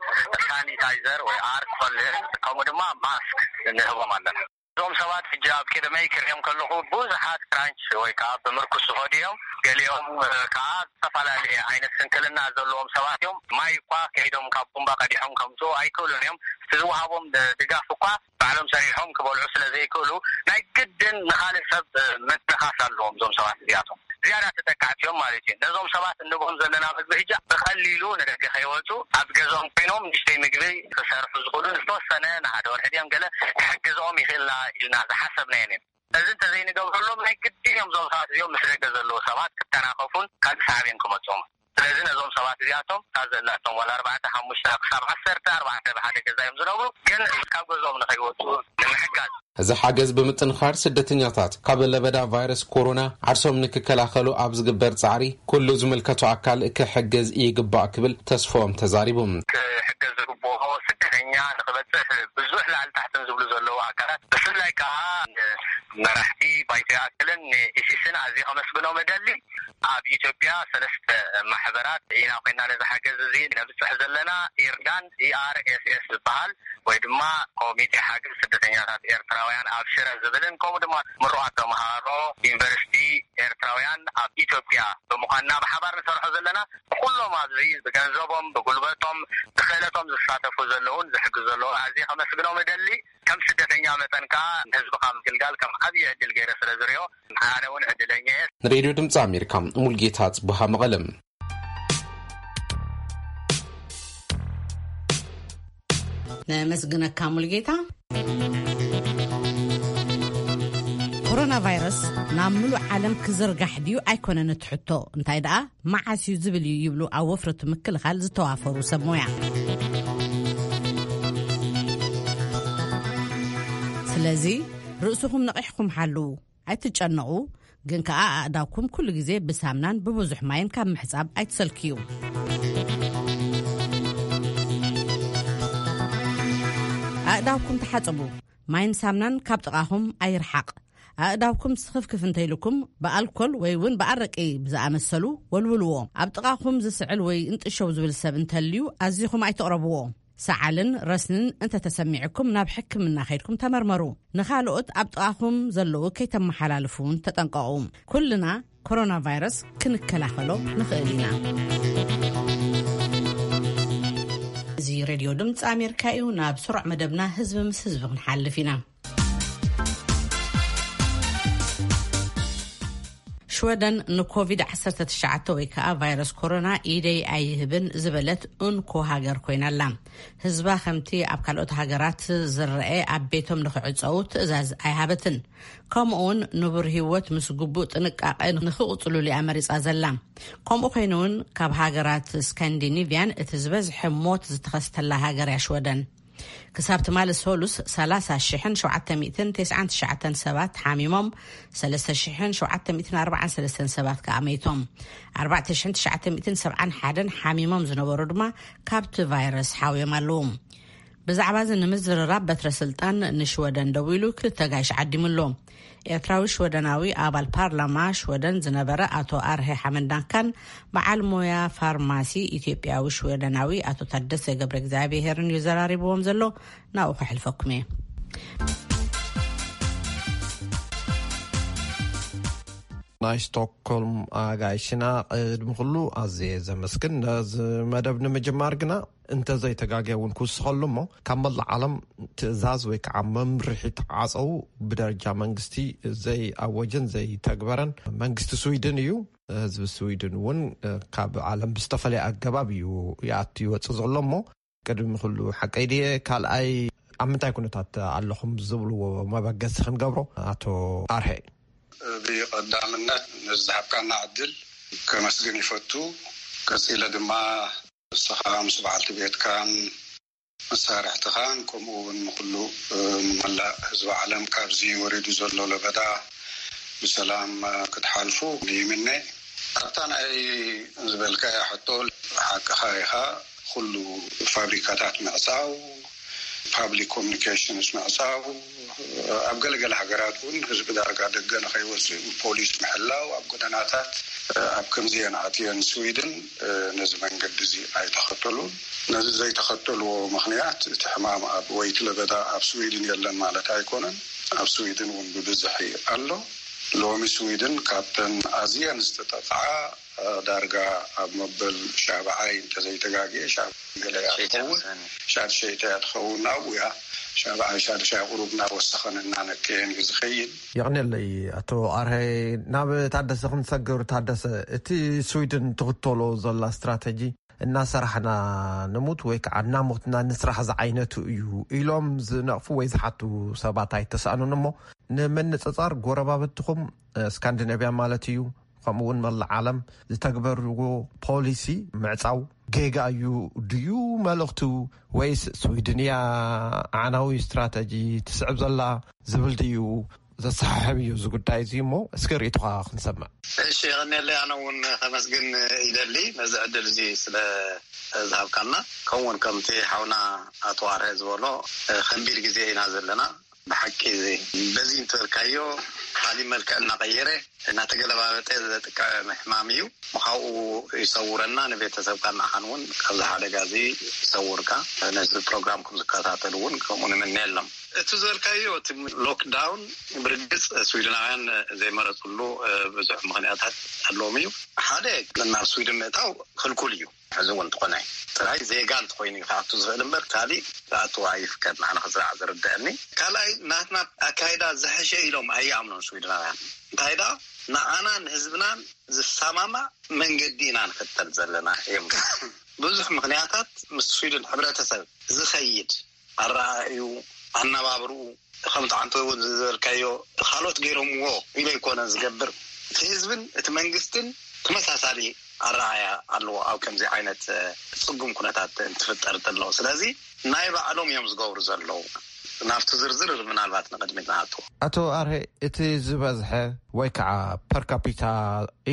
ሳኒታይዘር ወይ ኣርኮልን ከምኡ ድማ ማስክ ንህቦም ኣለና። እዞም ሰባት ሕጂ ኣብ ቅድመይ ክሪኦም ከለኹ ብዙሓት ክራንች ወይ ከዓ ብምርኩስ ዝኸዱ እዮም። ገሊኦም ከዓ ዝተፈላለየ ዓይነት ስንክልና ዘለዎም ሰባት እዮም። ማይ እኳ ከይዶም ካብ ቡምባ ቀዲሖም ከምፅኡ ኣይክእሉን እዮም። እቲ ዝወሃቦም ድጋፍ እኳ ባዕሎም ሰሪሖም ክበልዑ ስለ ዘይክእሉ ናይ ግድን ንኻልእ ሰብ ምትንኻስ ኣለዎም እዞም ሰባት እዚኣቶም። ዝያዳ ተጠቃዕቲ እዮም ማለት እዩ። ነዞም ሰባት እንብኦም ዘለና ምግቢ ሕጂ ብቐሊሉ ንደገ ከይወፁ ኣብ ገዝኦም ኮይኖም ንእሽተይ ምግቢ ክሰርሑ ዝኽእሉ ዝተወሰነ ንሓደ ወርሒ ድዮም ገለ ክሕግዝኦም ይኽእልና ኢልና ዝሓሰብናየን እዮም። እዚ እንተዘይንገብረሎም ናይ ግድን እዮም እዞም ሰባት እዚኦም ምስ ደገ ዘለዉ ሰባት ክተናኸፉን ካልእ ሳዕቤን ክመፅኦም። ስለዚ ነዞም ሰባት እዚኣቶም እታ ዘላቶም ዋላ ኣርባዕተ ሓሙሽተ ክሳብ ዓሰርተ ኣርባዕተ ብሓደ ገዛ እዮም ዝነብሩ፣ ግን ካብ ገዝኦም ንኸይወፁ ንምሕጋዝ። እዚ ሓገዝ ብምጥንኻር ስደተኛታት ካብ ለበዳ ቫይረስ ኮሮና ዓርሶም ንክከላኸሉ ኣብ ዝግበር ጻዕሪ ኩሉ ዝምልከቶ ኣካል ክሕግዝ ይግባእ ክብል ተስፎም ተዛሪቡ። ክሕገዝ ዝግብኦ ስደተኛ ንክበፅሕ ብዙሕ ላዕሊ ታሕትን ዝብሉ ዘለዉ ኣካላት ብፍላይ ከዓ መራሕቲ ባይቶ ይኣክልን ንኢሲስን ኣዝየ ከመስግኖም እደሊ። ኣብ ኢትዮጵያ ሰለስተ ማሕበራት ኢና ኮይና ነዚ ሓገዝ እዚ ነብፅሕ ዘለና። ኢርዳን፣ ኢኣርኤስኤስ ዝበሃል ወይ ድማ ኮሚቴ ሓገዝ ስደተኛታት ኤርትራውያን ኣብ ሽረ ዝብልን ከምኡ ድማ ምሩቓት ተምሃሮ ዩኒቨርሲቲ ኤርትራውያን ኣብ ኢትዮጵያ ብምዃንና ብሓባር ንሰርሖ ዘለና። ኩሎም ኣብዚ ብገንዘቦም፣ ብጉልበቶም፣ ብክእለቶም ዝሳተፉ ዘለውን ዝሕግዙ ዘለውን ኣዝየ ከመስግኖም እደሊ። ከም ስደተኛ መጠን ከዓ ንህዝብኻ ምግልጋል ከም ዓብዪ ዕድል ገይረ ስለ ዝሪኦ ኣነ እውን ዕድለኛ እየ። ንሬድዮ ድምፂ ኣሜሪካ ሙልጌታ ጽቡሃ መቐለም። ነመስግነካ ሙልጌታ። ኮሮና ቫይረስ ናብ ምሉእ ዓለም ክዝርጋሕ ድዩ ኣይኮነን እቲ ሕቶ፣ እንታይ ደኣ መዓስ እዩ ዝብል እዩ ይብሉ ኣብ ወፍርቱ ምክልኻል ዝተዋፈሩ ሰብ ሞያ። ስለዚ ርእስኹም ነቒሕኩም ሓልዉ። ኣይትጨነቑ፣ ግን ከኣ ኣእዳውኩም ኩሉ ግዜ ብሳምናን ብብዙሕ ማይን ካብ ምሕጻብ ኣይትሰልክዩ። ኣእዳውኩም ተሓጸቡ። ማይን ሳምናን ካብ ጥቓኹም ኣይርሓቕ። ኣእዳውኩም ስኽፍክፍ እንተኢልኩም ብኣልኮል ወይ እውን ብኣረቂ ብዝኣመሰሉ ወልውልዎ። ኣብ ጥቓኹም ዝስዕል ወይ እንጥሸው ዝብል ሰብ እንተልዩ ኣዚኹም ኣይትቕረብዎ። ሰዓልን ረስንን እንተተሰሚዕኩም ናብ ሕክምና ከይድኩም ተመርመሩ። ንኻልኦት ኣብ ጥቓኹም ዘለዉ ከይተመሓላልፉ እውን ተጠንቀቑ። ኩልና ኮሮና ቫይረስ ክንከላኸሎ ንኽእል ኢና። እዚ ሬድዮ ድምፂ ኣሜሪካ እዩ። ናብ ስሩዕ መደብና ህዝቢ ምስ ህዝቢ ክንሓልፍ ኢና። ሽወደን ንኮቪድ ዓሰርተ ትሽዓተ ወይ ከዓ ቫይረስ ኮሮና ኢደይ ኣይህብን ዝበለት እንኮ ሃገር ኮይና ኣላ። ህዝባ ከምቲ ኣብ ካልኦት ሃገራት ዝረአ ኣብ ቤቶም ንክዕፀዉ ትእዛዝ ኣይሃበትን። ከምኡ እውን ንቡር ህይወት ምስ ግቡእ ጥንቃቐ ንክቕፅሉሉ እያ መሪፃ ዘላ። ከምኡ ኮይኑ እውን ካብ ሃገራት ስካንዲኒቪያን እቲ ዝበዝሐ ሞት ዝተኸስተላ ሃገር እያ ሽወደን። ክሳብ ትማሊ ሰሉስ ሰላሳ ሽሕን ሸውዓተ ሚእትን ተስዓን ትሽዓተን ሰባት ሓሚሞም፣ ሰለስተ ሽሕን ሸውዓተ ሚእትን ኣርባዓን ሰለስተን ሰባት ከኣ መይቶም። ኣርባዕተ ሽሕን ትሽዓተ ሚእትን ሰብዓን ሓደን ሓሚሞም ዝነበሩ ድማ ካብቲ ቫይረስ ሓውዮም ኣለዉ። ብዛዕባ እዚ ንምዝርራብ በትረ ስልጣን ንሽወደን ደዊሉ ክልተ ጋይሽ ዓዲሙ ኣሎ። ኤርትራዊ ሽወደናዊ ኣባል ፓርላማ ሽወደን ዝነበረ ኣቶ ኣርሄ ሓመንዳንካን በዓል ሞያ ፋርማሲ ኢትዮጵያዊ ሽወደናዊ ኣቶ ታደሰ ገብረ እግዚኣብሄርን እዩ ዘራሪብዎም ዘሎ። ናብኡ ከሕልፈኩም እየ። ናይ ስቶክሆልም ኣጋይሽና፣ ቅድሚ ኩሉ ኣዝየ ዘመስግን። ነዚ መደብ ንምጅማር ግና እንተዘይተጋግየ እውን ክውስኸሉ እሞ፣ ካብ መላእ ዓለም ትእዛዝ ወይ ከዓ መምርሒ ተዓፀው ብደረጃ መንግስቲ ዘይኣወጀን ዘይተግበረን መንግስቲ ስዊድን እዩ። ህዝቢ ስዊድን እውን ካብ ዓለም ብዝተፈለየ ኣገባብ እዩ ይኣቱ ይወፅእ ዘሎ እሞ፣ ቅድሚ ኩሉ ሓቀይ ድየ? ካልኣይ ኣብ ምንታይ ኩነታት ኣለኹም ዝብልዎ መበገሲ ክንገብሮ? ኣቶ ኣርሄ። ብቐዳምነት ንዝሃብካና ዕድል ከመስግን ይፈቱ። ቀጺለ ድማ ንስኻ ምስ በዓልቲ ቤትካን መሳርሕትኻን፣ ከምኡ እውን ንኹሉ፣ እ፣ ንመላእ ህዝቢ ዓለም ካብዚ ወሪዱ ዘሎ ለበዳ ብሰላም፣ እ፣ ክትሓልፉ ይምነ። ኣብታ ናይ ዝበልካያ ሕቶ፣ ሓቅኻ ኢኻ። ኩሉ ፋብሪካታት ምዕጻው፣ ፓብሊክ ኮሚኒኬሽንስ ምዕጻው፣ ኣብ ገለገለ ሃገራት እውን ህዝቢ ዳርጋ ደገ ንኸይወፅእ ፖሊስ ምሕላው፣ ኣብ ጎደናታት፣ ኣብ ከምዚአን ኣትየን ስዊድን ነዚ መንገዲ እዚ ኣይተኸተሉን። ነዚ ዘይተኸተልዎ ምኽንያት፣ እቲ ሕማም ኣብ ወይ እቲ ለበዳ ኣብ ስዊድን የለን ማለት ኣይኮነን። ኣብ ስዊድን እውን ብብዝሒ ኣሎ። ሎሚ ስዊድን ካብተን ኣዝየን ዝተጠቕዓ፣ ዳርጋ ኣብ መበል ሻብዓይ እንተዘይተጋግየ፣ ሻብ ገለ እያ ትኸውን፣ ሻድሸይቲ እያ ትኸውን። ናብኡ እያ፣ ሻብዓይ፣ ሻድሻይ ቁሩብ እናወሰኸን እናነከየን እዩ ዝኸይድ። የቕንየለይ ኣቶ ኣርሀ። ናብ ታደሰ ክንሰግር። ታደሰ፣ እቲ ስዊድን ትኽተሎ ዘላ ስትራተጂ፣ እናሰራሕና ንሙት ወይ ከዓ እናሞትና ንስራሕ ዝዓይነቱ እዩ ኢሎም ዝነቕፉ ወይ ዝሓቱ ሰባት ኣይተሳእኑን። እሞ ንምንጽጻር፣ ጎረባብትኹም፣ እ፣ ስካንዲኔቭያ ማለት እዩ፣ ከምኡ እውን መላእ ዓለም ዝተግበርዎ ፖሊሲ ምዕጻው ጌጋ እዩ ድዩ መልእኽቱ? ወይስ ስዊድን እያ ኣዕናዊ ስትራተጂ ትስዕብ ዘላ ዝብል ድዩ? ዘሰሓሕብ እዩ እዚ ጉዳይ እዚ። እሞ እስኪ ርእይቶኻ ክንሰምዕ። እሺ፣ የቐንየለይ። ኣነ እውን ከመስግን ይደሊ ነዚ ዕድል እዚ ስለ ዝሃብካና። ከምኡውን ከምቲ ሓውና ኣቶ ኣርሀ ዝበሎ፣ ከቢድ ግዜ ኢና ዘለና። ብሓቂ፣ በዚ እንትበልካዮ፣ ካሊእ መልክዕ እናቐየረ፣ እናተገለባበጠ ዘጥቅዕ ሕማም እዩ። ካብኡ ይሰውረና፣ ንቤተሰብካ ንዓኻን እውን ካብዚ ሓደጋ እዚ ይሰውርካ። ነዚ ፕሮግራምኩም ዝከታተሉ እውን ከምኡ ንምነየሎም። እቲ ዝበልካዮ፣ እቲ ሎክዳውን፣ ብርግጽ ስዊድናውያን ዘይመረጽሉ ብዙሕ ምኽንያታት ኣለዎም እዩ። ሓደ፣ ናብ ስዊድን ምእታው ክልኩል እዩ። ሕዚ እውን እንተኾነ፣ ጥራይ ዜጋ እንተኾይኑ እዩ ክኣቱ ዝኽእል እምበር፣ ካሊእ ክኣቱ ኣይፍቀድ። ንዓና ክስራዕ ዝርድአኒ። ካልኣይ፣ ናትና ኣካይዳ ዝሐሸ ኢሎም ኣይኣምኑን ስዊድናውያን። እንታይ ደኣ፣ ንዓናን ህዝብናን ዝሰማማዕ መንገዲ ኢና ንኽተል ዘለና እዮም። ብዙሕ ምኽንያታት ምስ ስዊድን ሕብረተሰብ ዝኸይድ ኣረኣእዩ፣ ኣነባብርኡ፣ ከምቲ ዓንተ እውን ዝበልካዮ፣ ካልኦት ገይሮምዎ ኢለ ኣይኮነን ዝገብር። እቲ ህዝብን እቲ መንግስትን ተመሳሳሊ ኣረኣእያ ኣለዎ ኣብ ከምዚ ዓይነት፣ እ፣ ጽጉም ኩነታት እንትፍጠር እንተሎ። ስለዚ ናይ ባዕሎም እዮም ዝገብሩ ዘለዉ። ናብቲ ዝርዝር ምናልባት ንቕድሚት ንኣትዎ። ኣቶ ኣርሄ፣ እቲ ዝበዝሐ ወይ ከዓ ፐር ካፒታ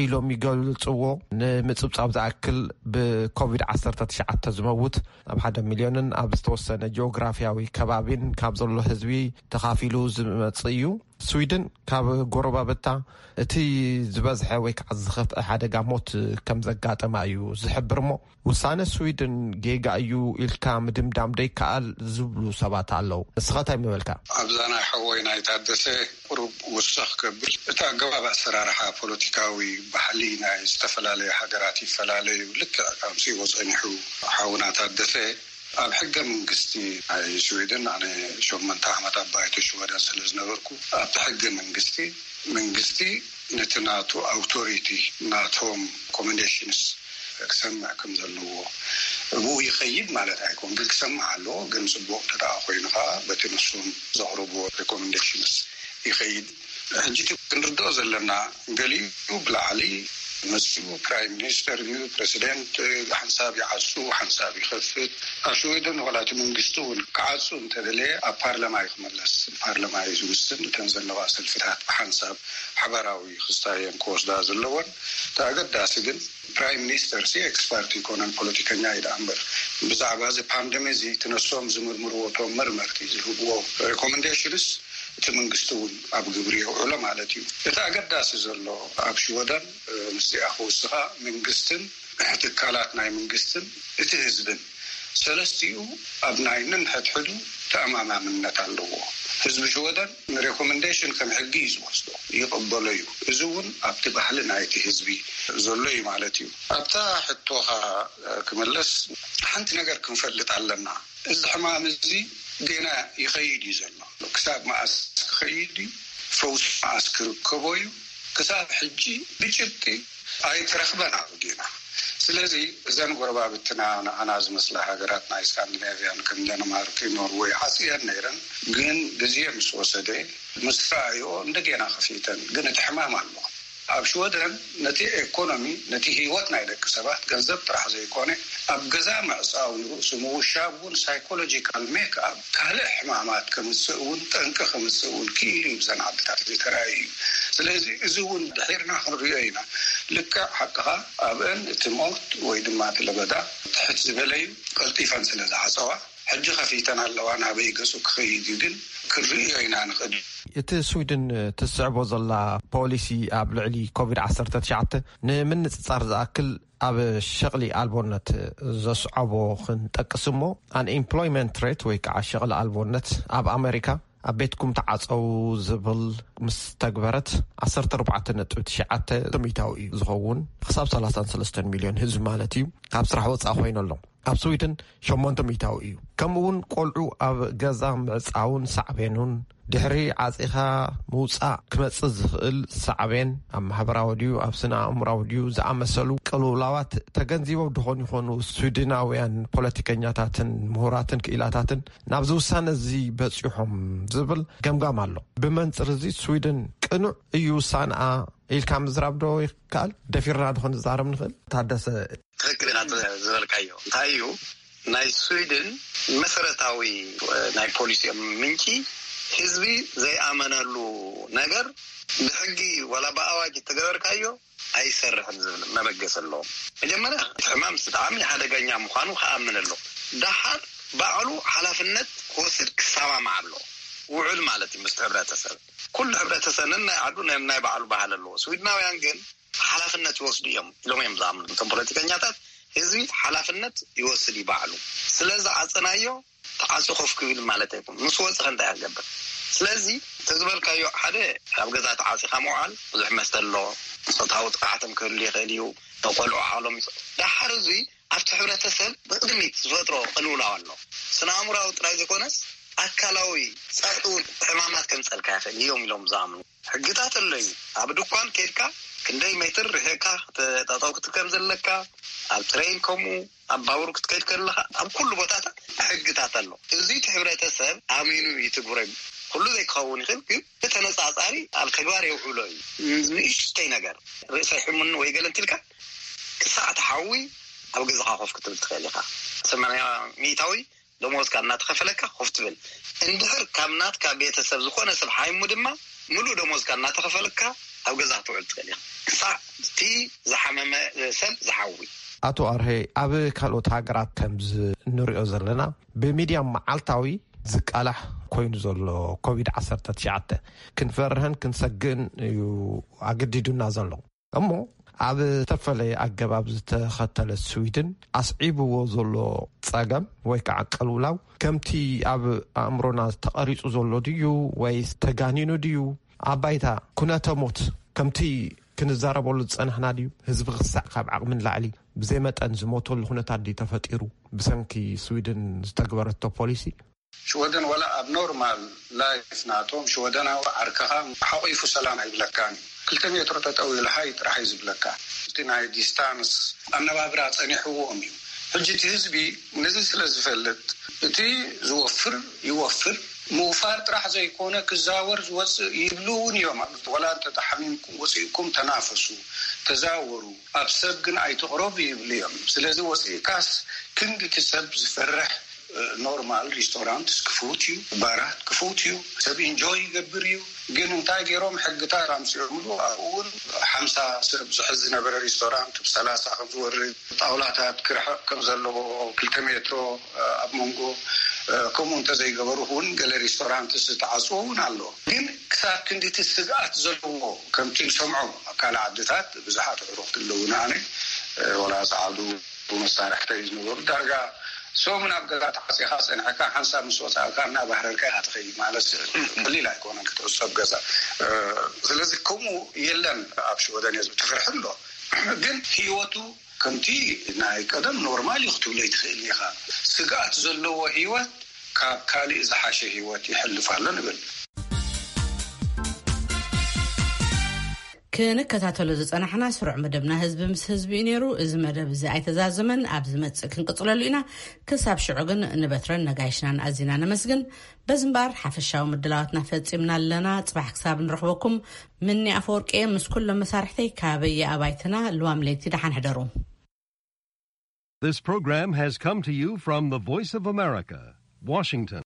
ኢሎም ይገልጽዎ፣ ንምጽብጻብ ዝኣክል፣ ብኮቪድ ዓሰርተ ትሽዓተ ዝመውት ኣብ ሓደ ሚልዮንን ኣብ ዝተወሰነ ጂኦግራፊያዊ ከባቢን ካብ ዘሎ ህዝቢ ተኻፊሉ ዝመጽእ እዩ። ስዊድን ካብ ጎረባብታ እቲ ዝበዝሐ ወይ ከዓ ዝኸፍአ ሓደጋ ሞት ከም ዘጋጠማ እዩ ዝሕብር። እሞ ውሳነ ስዊድን ጌጋ እዩ ኢልካ ምድምዳም ደይከኣል ዝብሉ ሰባት ኣለዉ። ንስኻ እንታይ ምበልካ? ኣብዛ ናይ ሓወይ ናይ ታደሰ ቁሩብ ውስኽ ከብል፣ እቲ ኣገባብ ኣሰራርሓ ፖለቲካዊ ባህሊ ናይ ዝተፈላለዩ ሃገራት ይፈላለዩ። ልክዕ ከምሲዎ ጸኒሑ ሓውና ታደሰ፣ ኣብ ሕገ መንግስቲ ናይ ስዊድን፣ ኣነ ሸሞንተ ዓመት ኣብ ባይቶ ሽወደን ስለ ዝነበርኩ፣ ኣብቲ ሕገ መንግስቲ፣ መንግስቲ ነቲ ናቱ ኣውቶሪቲ፣ ናቶም ኮመንዴሽንስ ክሰምዕ ከም ዘለዎ ብኡ ይኸይድ ማለት ኣይኮን፣ ግን ክሰምዕ ኣለዎ። ግን ጽቡቕ እንተ ደኣ ኮይኑ ኸዓ በቲ ንሶም ዘቕርብዎ ሬኮመንዴሽንስ ይኸይድ። ሕጂ እቲ ክንርድኦ ዘለና፣ ገሊኡ ብላዕሊ መጺኡ ፕራይም ሚኒስተር እዩ፣ ፕረሲደንት ሓንሳብ ይዓጹ፣ ሓንሳብ ይኸፍት። ኣብ ሽወደን ዋላ እቲ መንግስቲ እውን ክዓጹ እንተደለየ ኣብ ፓርላማ እዩ ክመለስ። ፓርላማ እዩ ዝውስን እተን ዘለዋ ሰልፍታት ብሓንሳብ ሓባራዊ ክስታየን ክወስዳ ዘለወን። እቲ ኣገዳሲ ግን ፕራይም ሚኒስተር ሲ ኤክስፐርት ይኮነን፣ ፖለቲከኛ እዩ ደኣ እምበር፣ ብዛዕባ እዚ ፓንደሚ እዚ እቲ ነሶም ዝምርምርዎ እቶም መርመርቲ ዝህብዎ ሬኮመንዴሽንስ እቲ መንግስቲ እውን ኣብ ግብሪ የውዕሎ ማለት እዩ። እቲ ኣገዳሲ ዘሎ ኣብ ሽወደን፣ እ፣ ምስዚኣ ክውስኻ፣ መንግስትን ትካላት ናይ መንግስትን እቲ ህዝብን ሰለስቲኡ ኣብ ናይ ነንሕድሕዱ ተኣማማምነት ኣለዎ። ህዝቢ ሽወደን ንሬኮመንዴሽን ከም ሕጊ እዩ ዝወስዶ፣ ይቕበሎ እዩ። እዚ እውን ኣብቲ ባህሊ ናይቲ ህዝቢ ዘሎ እዩ ማለት እዩ። ኣብታ ሕቶኻ ክምለስ፣ ሓንቲ ነገር ክንፈልጥ ኣለና። እዚ ሕማም እዚ ጌና ይኸይድ እዩ ዘሎ። ክሳብ መኣስ ክኸይድ እዩ? ፈውሲ መኣስ ክርከቦ እዩ? ክሳብ ሕጂ ብጭብጢ ኣይትረኽበን ኣብ ጌና። ስለዚ እዘን ጎረባብትና ንዓና ዝመስላ ሃገራት ናይ ስካንዲናቪያን ከም ደንማርክ፣ ኖርወይ ዓጽየን ነይረን፣ ግን ግዜ ምስ ወሰደ፣ ምስ ረኣይኦ እንደገና ከፊተን። ግን እቲ ሕማም ኣሎ። ኣብ ሽወደን ነቲ ኤኮኖሚ፣ ነቲ ህይወት ናይ ደቂ ሰባት፣ ገንዘብ ጥራሕ ዘይኮነ፣ ኣብ ገዛ ምዕጻው፣ ንርእሱ ምውሻብ እውን ሳይኮሎጂካል ሜክ ኣፕ፣ ካልእ ሕማማት ከምጽእ እውን፣ ጠንቂ ከምጽእ እውን ክኢሉ እዩ ብዘን ዓድታት እዚ ተራእዩ እዩ። ስለዚ እዚ እውን ድሒርና ክንሪኦ ኢና። ልክዕ ሓቅኻ፣ ኣብአን እቲ ሞት ወይ ድማ እቲ ለበዳ ትሕት ዝበለ እዩ። ቀልጢፈን ስለ ዝዓጸዋ፣ ሕጂ ከፊተን ኣለዋ። ናበይ ገጹ ክኸይድ እዩ ግን ክንርእዮ ኢና ንኽእል። እቲ ስዊድን ትስዕቦ ዘላ ፖሊሲ ኣብ ልዕሊ ኮቪድ ዓሰርተ ትሽዓተ ንምንጽጻር ዝኣክል ኣብ ሸቕሊ ኣልቦነት ዘስዓቦ ክንጠቅስ እሞ፣ ኣንኤምፕሎይመንት ሬት ወይ ከዓ ሸቕሊ ኣልቦነት ኣብ ኣሜሪካ ኣብ ቤትኩም ተዓጸው ዝብል ምስ ተግበረት፣ ዓሰርተ ኣርባዕተ ነጥቢ ትሽዓተ ሚእታዊ እዩ ዝኸውን። ክሳብ ሰላሳን ሰለስተን ሚልዮን ህዝቢ ማለት እዩ ካብ ስራሕ ወጻኢ ኮይኑ ኣሎ። ኣብ ስዊድን ሸሞንተ ሚእታዊ እዩ። ከምኡ እውን ቆልዑ ኣብ ገዛ ምዕጻውን ሳዕቤኑን፣ ድሕሪ ዓጺኻ ምውጻእ ክመጽእ ዝኽእል ሳዕቤን፣ ኣብ ማሕበራዊ ድዩ ኣብ ስነ ኣእምራዊ ድዩ ዝኣመሰሉ ቅልውላዋት ተገንዚቦም ድኾን ይኾኑ? ስዊድናውያን ፖለቲከኛታትን ምሁራትን ክኢላታትን ናብዚ ውሳነ እዚ በጺሖም ዝብል ገምጋም ኣሎ። ብመንጽር እዚ ስዊድን ቅኑዕ እዩ ውሳንኣ ኢልካ ምዝራብ ዶ ይከኣል? ደፊርና ድኾን ዝዛረብ ንኽእል? ታደሰ። ትኽክል ኢና ዝበልካዮ። እንታይ እዩ፣ ናይ ስዊድን መሰረታዊ ናይ ፖሊሲኦም ምንጪ፣ ህዝቢ ዘይኣመነሉ ነገር ብሕጊ ዋላ ብኣዋጅ እተገበርካዮ ኣይሰርሕን ዝብል መበገሲ ኣለዎም። መጀመርያ እቲ ሕማም ብጣዕሚ ሓደገኛ ምዃኑ ክኣምን ኣሎ። ደሓር ባዕሉ ሓላፍነት ክወስድ ክሰማማዕ ኣሎ። ውዕል ማለት እዩ ምስ ሕብረተሰብ። ኩሉ ሕብረተሰብ ነናይ ዓዱ ናይ ባዕሉ ባህል ኣለዎ። ስዊድናውያን ግን ሓላፍነት ይወስዱ እዮም ኢሎም እዮም ዝኣምኑ። እቶም ፖለቲከኛታት ህዝቢ ሓላፍነት ይወስድ እዩ ባዕሉ። ስለ ዝዓፀናዮ ተዓፂ ኮፍ ክብል ማለት ኣይኮን። ምስ ወፅኸ እንታይ ክገብር? ስለዚ ተዝበልካዮ ሓደ ኣብ ገዛ ተዓፂኻ ምውዓል ብዙሕ መስተ ኣሎ። ፆታዊ ጥቕዓቶም ክህሉ ይኽእል እዩ። ንቆልዑ ዓሎም ይፅ- ዳሓር እዙይ ኣብቲ ሕብረተሰብ ብቕድሚት ዝፈጥሮ ቅልውላው ኣሎ። ስነ ኣእምራዊ ጥራይ ዘይኮነስ ኣካላዊ ፀቕጢ እውን ሕማማት ከምፀልካ ይኽእል እዮም ኢሎም ዝኣምኑ። ሕግታት ኣሎ እዩ። ኣብ ድኳን ከድካ ክንደይ ሜትር ርሕቕካ ጠጠው ክትከም ዘለካ፣ ኣብ ትሬን ከምኡ፣ ኣብ ባቡር ክትከይድ ከለኻ ኣብ ኩሉ ቦታታት ሕግታት ኣሎ። እዚ እቲ ሕብረተሰብ ኣሚኑ ይትግብሮ እዩ። ኩሉ ዘይክኸውን ይኽእል ግን ብተነፃፃሪ ኣብ ተግባር የውዕሎ እዩ። ንእሽተይ ነገር ርእሰይ ሕሙኒ ወይ ገለ እንቲልካ ክሳዕ ትሓዊ ኣብ ገዛኻ ኮፍ ክትብል ትኽእል ኢኻ። ሰማንያ ሚእታዊ ደሞዝካ እናተኸፈለካ ኮፍ ትብል። እንድሕር ካብ ናትካ ቤተሰብ ዝኾነ ሰብ ሓይሙ ድማ ምሉእ ደሞዝካ እናተኸፈለካ ኣብ ገዛ ክትውዕል ትኽእል ኢኻ። ክሳዕ እቲ ዝሓመመ ሰብ ዝሓዊ። ኣቶ ኣርሀ፣ ኣብ ካልኦት ሃገራት ከምዚ እንሪኦ ዘለና ብሚድያ መዓልታዊ ዝቃላሕ ኮይኑ ዘሎ ኮቪድ ዓሰርተ ትሽዓተ ክንፈርህን ክንሰግእን እዩ ኣገዲዱና ዘሎ። እሞ ኣብ ዝተፈለየ ኣገባብ ዝተኸተለ ስዊድን ኣስዒብዎ ዘሎ ጸገም ወይ ከዓ ቅልውላው ከምቲ ኣብ ኣእምሮና ተቐሪጹ ዘሎ ድዩ ወይስ ተጋኒኑ ድዩ? ኣብ ባይታ ኩነተ ሞት ከምቲ ክንዛረበሉ ዝጸናሕና ድዩ? ህዝቢ ክሳዕ ካብ ዓቕሚ ንላዕሊ ብዘይ መጠን ዝሞተሉ ኩነታት ድዩ ተፈጢሩ ብሰንኪ ስዊድን ዝተግበረቶ ፖሊሲ? ሽወደን ዋላ ኣብ ኖርማል ላይፍ ናቶም ሽወደናዊ ዓርክኻ ሓቑፉ ሰላም ኣይብለካን እዩ። ክልተ ሜትሮ ጠጠው ኢሉ ሃይ ጥራሕ እዩ ዝብለካ። እቲ ናይ ዲስታንስ ኣነባብራ ጸኒሕዎም እዩ። ሕጂ እቲ ህዝቢ ነዚ ስለ ዝፈልጥ እቲ ዝወፍር ይወፍር፣ ምውፋር ጥራሕ ዘይኮነ ክዛወር ዝወፅእ ይብሉ እውን እዮም። ዋላ እንተ ተሓሚምኩም ወፂእኩም ተናፈሱ፣ ተዛወሩ፣ ኣብ ሰብ ግን ኣይትቕረቡ ይብሉ እዮም። ስለዚ ወፂእካስ ክንድቲ ሰብ ዝፈርሕ ኖርማል ሪስቶራንት ክፉት እዩ፣ ባራት ክፉት እዩ፣ ሰብ ኢንጆይ ይገብር እዩ። ግን እንታይ ገይሮም ሕግታት ኣምፅኦምሉ ኣብኡ እውን ሓምሳ ሰብ ዝሕዝ ዝነበረ ሪስቶራንት ብሰላሳ ከም ዝወርድ፣ ጣውላታት ክርሕቕ ከም ዘለዎ ክልተ ሜትሮ ኣብ መንጎ ከምኡ እንተዘይገበሩ እውን ገለ ሪስቶራንት ዝተዓፅዎ እውን ኣሎ። ግን ክሳብ ክንድቲ ስግኣት ዘለዎ ከምቲ ንሰምዖ ኣብ ካልእ ዓድታት ብዙሓት ኣዕሩኽቲ ኣለዉ ንኣነ ወላ ፃዓዱ መሳርሕተይ ዝነበሩ ዳርጋ ሰሙን ኣብ ገዛ ተዓፂኻ ፀኒሕካ ሓንሳብ ምስ ወፃእካ እናባህረርካ ኢኻ ትኸይድ ማለት ቀሊል ኣይኮነን ክትዕፀብ ገዛ። ስለዚ ከምኡ የለን ኣብ ሽወደን ህዝቢ ትፍርሒ ኣሎ ግን ህይወቱ ከምቲ ናይ ቀደም ኖርማል እዩ ክትብሎ ይትኽእል ኢኻ። ስግኣት ዘለዎ ህይወት ካብ ካልእ ዝሓሸ ህይወት ይሕልፍ ኣሎ ንብል። ክንከታተሎ ዝጸናሕና ስሩዕ መደብና ህዝቢ ምስ ህዝቢ እዩ ነይሩ። እዚ መደብ እዚ ኣይተዛዘመን፣ ኣብ ዝመጽእ ክንቅጽለሉ ኢና። ክሳብ ሽዑ ግን ንበትረን ነጋይሽናን ኣዚና ነመስግን። በዚ እምበኣር ሓፈሻዊ ምድላዋትና ፈጺምና ኣለና። ጽባሕ ክሳብ ንረኽበኩም፣ ምኒ ኣፈወርቂ እየ ምስ ኩሎም መሳርሕተይ ካበየ ኣባይትና። ልዋም ለይቲ ደሓን ሕደሩ። This program has come to you from the Voice of America, Washington.